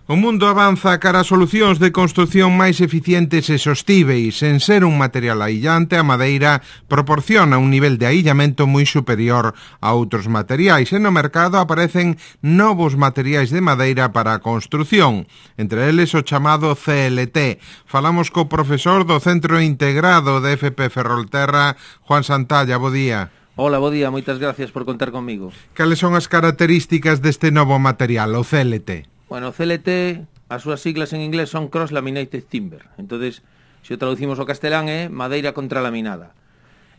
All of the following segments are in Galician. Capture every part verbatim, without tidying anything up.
O mundo avanza cara a solucións de construción máis eficientes e sostíveis. En ser un material aillante, a madeira proporciona un nivel de aillamento moi superior a outros materiais e no mercado aparecen novos materiais de madeira para a construción, entre eles o chamado C L T. Falamos co profesor do Centro Integrado de F P Ferrolterra, Juan Santalla. Bo día. Hola, bo día, moitas gracias por contar comigo. Cales son as características deste novo material, o C L T? Bueno, o C L T, as súas siglas en inglés son Cross Laminated Timber. Entonces, se o traducimos ao castelán é madeira contralaminada.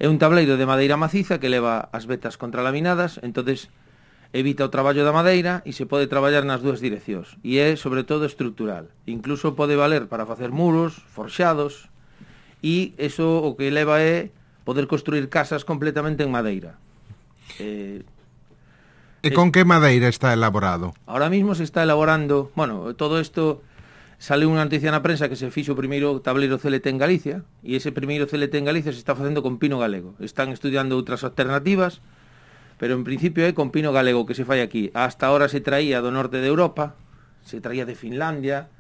É un tableiro de madeira maciza que leva as vetas contralaminadas, entonces evita o traballo da madeira e se pode traballar nas dúas direccións. E é, sobre todo, estrutural. Incluso pode valer para facer muros, forxados, e eso o que leva é poder construir casas completamente en madeira. Eh... E con que madeira está elaborado? Ahora mismo se está elaborando, bueno, todo isto sale unha noticia na prensa que se fixo o primeiro tableiro C L T en Galicia, e ese primeiro C L T en Galicia se está facendo con pino galego. Están estudiando outras alternativas, pero en principio é con pino galego que se fai aquí. Hasta ahora se traía do norte de Europa, se traía de Finlandia,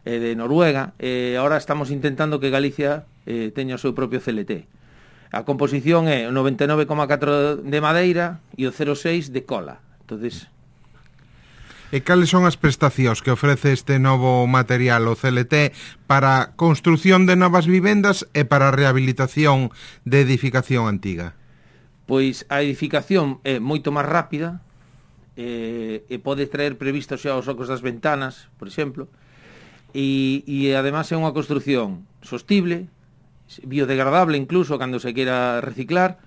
eh, de Noruega, e agora estamos intentando que Galicia eh, teña o seu propio C L T. A composición é o noventa e nove coma catro de madeira e o cero coma seis de cola. Entonces... E cales son as prestacións que ofrece este novo material, o C L T, para a construción de novas vivendas e para a rehabilitación de edificación antiga? Pois a edificación é moito máis rápida, e, e pode traer previstos xa os ocos das ventanas, por exemplo, e, e además é unha construción sostible, biodegradable incluso cando se quera reciclar,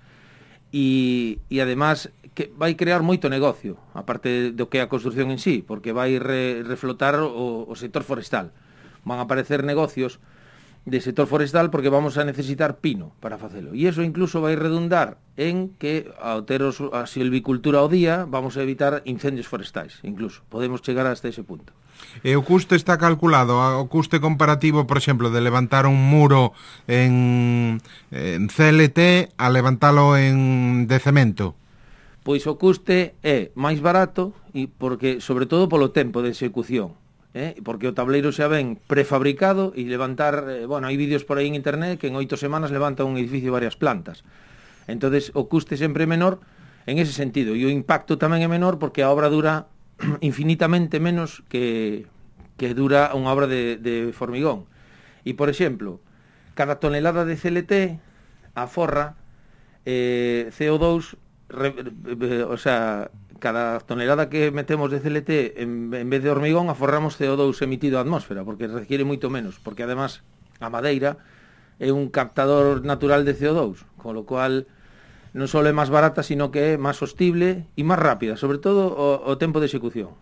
e, e además que vai crear moito negocio, aparte do que é a construción en sí, porque vai re, reflotar o, o sector forestal. Van a aparecer negocios de sector forestal porque vamos a necesitar pino para facelo. E iso incluso vai redundar en que ao ter a silvicultura ao día vamos a evitar incendios forestais, incluso. Podemos chegar hasta ese punto. E o custe está calculado, o custe comparativo, por exemplo, de levantar un muro en, en C L T a levantalo en de cemento? Pois o custe é máis barato e porque, sobre todo polo tempo de execución, eh? Porque o tableiro xa ven prefabricado e levantar, eh, bueno, hai vídeos por aí en internet que en oito semanas levanta un edificio de varias plantas. Entonces o custe sempre é menor en ese sentido, e o impacto tamén é menor porque a obra dura infinitamente menos que, que dura unha obra de, de formigón. E, por exemplo, cada tonelada de C L T aforra eh, C O dos, re, eh, o sea, cada tonelada que metemos de C L T en, en vez de hormigón aforramos C O dos emitido á atmósfera, porque requiere moito menos, porque además a madeira é un captador natural de C O dos, con lo cual non só é máis barata, sino que é máis sostible e máis rápida, sobre todo o, o tempo de execución.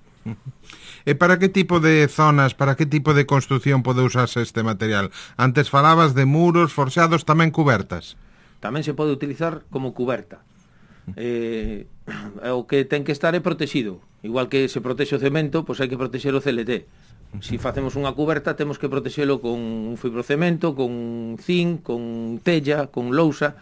E para que tipo de zonas, para que tipo de construción pode usarse este material? Antes falabas de muros, forxados, tamén cubertas. Tamén se pode utilizar como cuberta. Eh, o que ten que estar é protegido. Igual que se protexe o cemento, pois hai que protexer o C L T. Se facemos unha cuberta, temos que protexelo con un fibrocemento, con zinc, con tella, con lousa.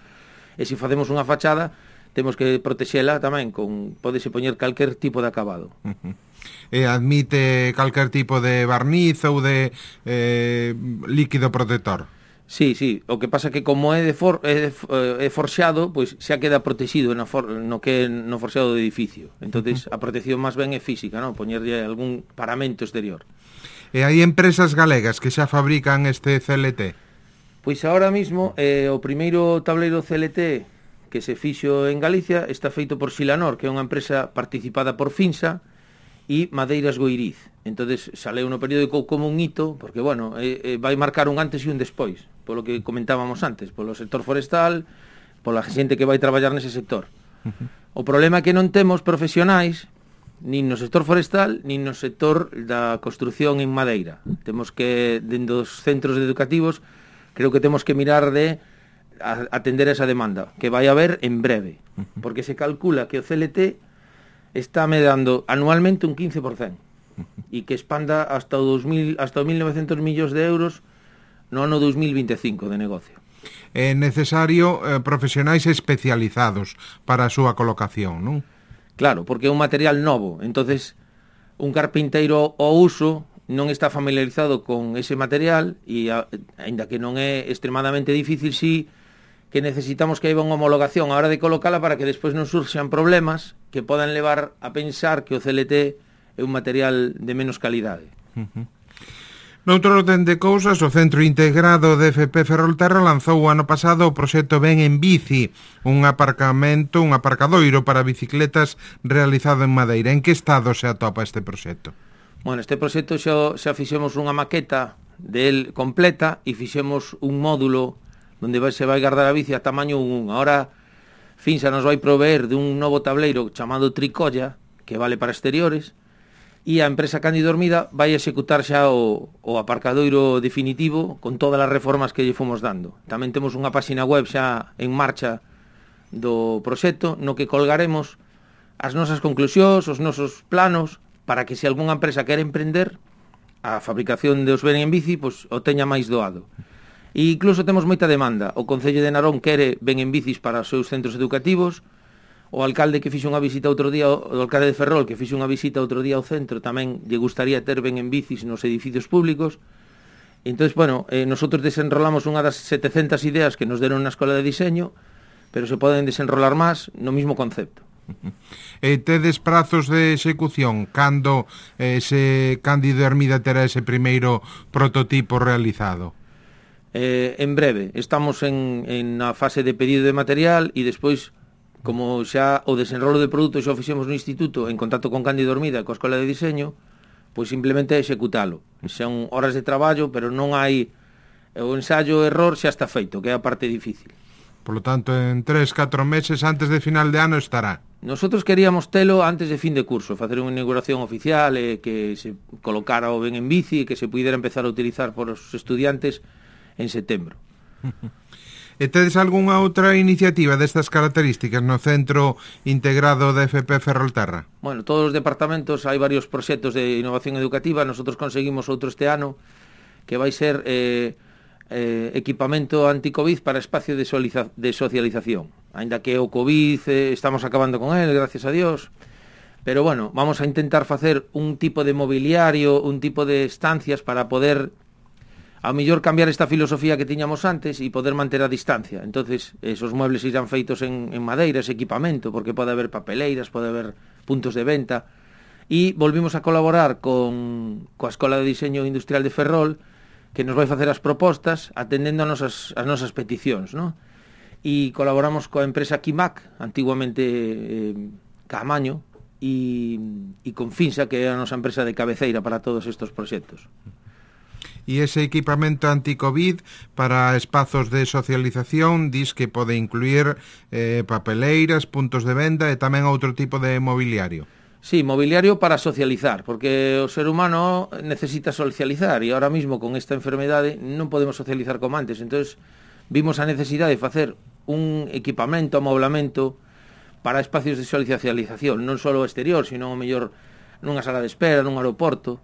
E se facemos unha fachada, temos que protexela tamén con, pódese poñer calquer tipo de acabado. Uh-huh. E admite calquer tipo de barniz ou de eh, líquido protector? Sí, sí, o que pasa que como é de, for, é de é forxado, pois xa queda protegido no, for, no que é no forxado do edificio. Entonces uh-huh. a protección máis ben é física, non? Poñerlle algún paramento exterior. E hai empresas galegas que xa fabrican este C L T? Pois agora mismo eh, o primeiro tableiro C L T que se fixo en Galicia está feito por Silanor, que é unha empresa participada por Finsa e Madeiras Goiriz. Entonces saleu no periódico como un hito, porque bueno, eh, eh, vai marcar un antes e un despois, polo que comentábamos antes, polo sector forestal, pola xente que vai traballar nese sector. Uh-huh. O problema é que non temos profesionais nin no sector forestal, nin no sector da construción en madeira. Temos que, dentro dos centros educativos, creo que temos que mirar de atender esa demanda, que vai haber en breve, porque se calcula que o C L T está medando anualmente un quince por cento e que expanda hasta o dos mil, hasta o mil novecientos millóns de euros no ano dos mil veinticinco de negocio. É necesario eh, profesionais especializados para a súa colocación, non? Claro, porque é un material novo, entonces un carpinteiro ao uso non está familiarizado con ese material e, aínda que non é extremadamente difícil, sí que necesitamos que haiba unha homologación a hora de colocala para que despois non surxan problemas que podan levar a pensar que o C L T é un material de menos calidade. Uh-huh. Noutro orden de cousas, o Centro Integrado de F P Ferrolterra lanzou o ano pasado o proxecto Ben en Bici, un aparcamento, un aparcadoiro para bicicletas realizado en Madeira. En que estado se atopa este proxecto? Bueno, este proxecto xa, xa fixemos unha maqueta del completa e fixemos un módulo onde vai, se vai guardar a bici a tamaño un. Ahora Finsa nos vai proveer dun novo tableiro chamado Tricolla, que vale para exteriores, e a empresa Cándido Hermida vai executar xa o, o aparcadoiro definitivo con todas as reformas que lle fomos dando. Tamén temos unha páxina web xa en marcha do proxecto no que colgaremos as nosas conclusións, os nosos planos, para que se algunha empresa quere emprender a fabricación de os Ben en Bici, pois o teña máis doado. E incluso temos moita demanda. O Concello de Narón quere Ben en Bicis para os seus centros educativos. O alcalde que fixo unha visita outro día, o alcalde de Ferrol, que fixo unha visita outro día ao centro, tamén lle gustaría ter Ben en Bicis nos edificios públicos. Entón, bueno, eh, nosotros desenrolamos unha das setecentas ideas que nos deron na Escola de Diseño, pero se poden desenrolar máis no mismo concepto. E tedes prazos de execución? Cando eh, se Cándido Hermida terá ese primeiro prototipo realizado? Eh, en breve, estamos en, en a fase de pedido de material e despois, como xa o desenrolo de produtos xa o fixemos no instituto en contacto con Cándido Hermida, coa Escola de Diseño, pois simplemente executalo. Son horas de traballo, pero non hai o ensayo error xa está feito, que é a parte difícil. Por lo tanto, en tres, catro meses antes de final de ano estará. Nosotros queríamos telo antes de fin de curso, facer unha inauguración oficial e que se colocara o Ben en Bici e que se pudiera empezar a utilizar por os estudiantes en setembro. E tedes algunha outra iniciativa destas características no Centro Integrado de F P Ferrolterra? Bueno, todos os departamentos hai varios proxectos de innovación educativa. Nosotros conseguimos outro este ano que vai ser eh, eh, equipamento anti-Covid para espacio de, soliza, de socialización. Ainda que o Covid eh, estamos acabando con él, gracias a Dios. Pero bueno, vamos a intentar facer un tipo de mobiliario, un tipo de estancias para poder ao mellor cambiar esta filosofía que tiñamos antes e poder manter a distancia. Entonces, esos muebles irán feitos en, en madeira, ese equipamento, porque pode haber papeleiras, pode haber puntos de venta. E volvimos a colaborar con coa Escola de Diseño Industrial de Ferrol, que nos vai facer as propostas atendendo a nosas, as nosas peticións, ¿no? E colaboramos coa empresa Quimac, antiguamente eh, Caamaño, e, e con Finsa, que é a nosa empresa de cabeceira para todos estes proxectos. E ese equipamento anti-Covid para espazos de socialización dis que pode incluir eh, papeleiras, puntos de venda e tamén outro tipo de mobiliario. Sí, mobiliario para socializar, porque o ser humano necesita socializar e ahora mismo con esta enfermedade non podemos socializar como antes. Entonces vimos a necesidade de facer un equipamento, amoblamento para espacios de socialización, non só exterior, sino o mellor nunha sala de espera, nun aeroporto.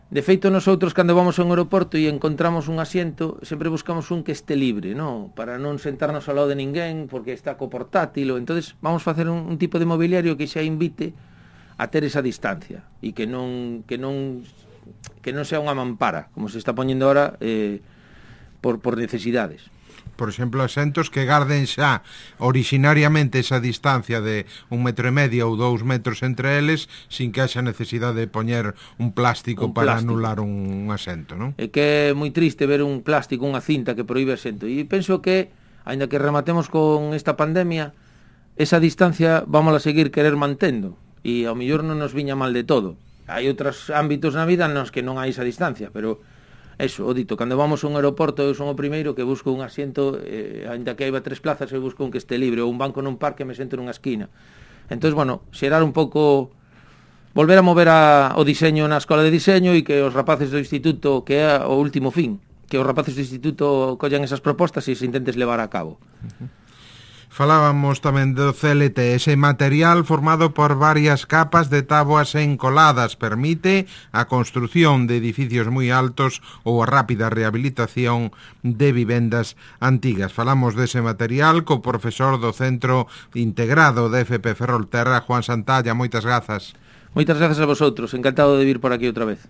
De feito, nosotros, cando vamos a un aeroporto e encontramos un asiento, sempre buscamos un que este libre, ¿no? Para non sentarnos ao lado de ninguén, porque está co portátil. Entonces vamos a facer un, un tipo de mobiliario que xa invite a ter esa distancia e que non que non que non sea unha mampara, como se está poñendo ahora eh, por, por necesidades. Por exemplo, asentos que garden xa originariamente esa distancia de un metro e medio ou dous metros entre eles, sin que haxa necesidade de poñer un plástico un para plástico. Anular un, un asento, non? É que é moi triste ver un plástico, unha cinta que proíbe asento. E penso que, aínda que rematemos con esta pandemia, esa distancia vamos a seguir querer mantendo. E ao mellor non nos viña mal de todo. Hai outros ámbitos na vida nos que non hai esa distancia, pero eso, o dito, cando vamos a un aeroporto eu son o primeiro que busco un asiento, eh, ainda que haiba tres plazas, eu busco un que este libre, ou un banco nun parque me sento nunha esquina. Entón, bueno, xerar un pouco, volver a mover a, o diseño na Escola de Diseño e que os rapaces do instituto, que é o último fin, que os rapaces do instituto collan esas propostas e se intentes levar a cabo. Uh-huh. Falábamos tamén do C L T, ese material formado por varias capas de táboas encoladas permite a construción de edificios moi altos ou a rápida rehabilitación de vivendas antigas. Falamos dese material co profesor do Centro Integrado de F P Ferrolterra, Juan Santalla. Moitas grazas. Moitas grazas a vosotros, encantado de vir por aquí outra vez.